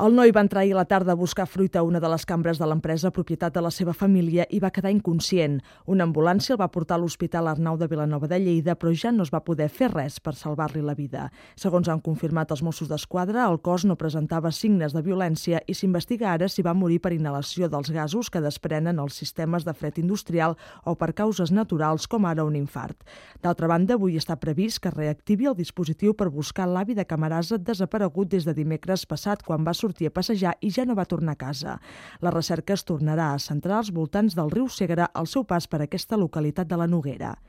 El noi va entrar ahir a la tarda a buscar fruita a una de les cambres de l'empresa, propietat de la seva família, i va quedar inconscient. Una ambulància el va portar a l'Hospital Arnau de Vilanova de Lleida, però ja no es va poder fer res per salvar-li la vida. Segons han confirmat els Mossos d'Esquadra, el cos no presentava signes de violència i s'investiga ara si va morir per inhalació dels gasos que desprenen els sistemes de fred industrial o per causes naturals, com ara un infart. D'altra banda, avui està previst que reactivi el dispositiu per buscar l'avi de Camarasa desaparegut des de dimecres passat, quan va sortir a passejar i ja no va tornar a casa. La recerca es tornarà a centrar als voltants del riu Segre al seu pas per aquesta localitat de la Noguera.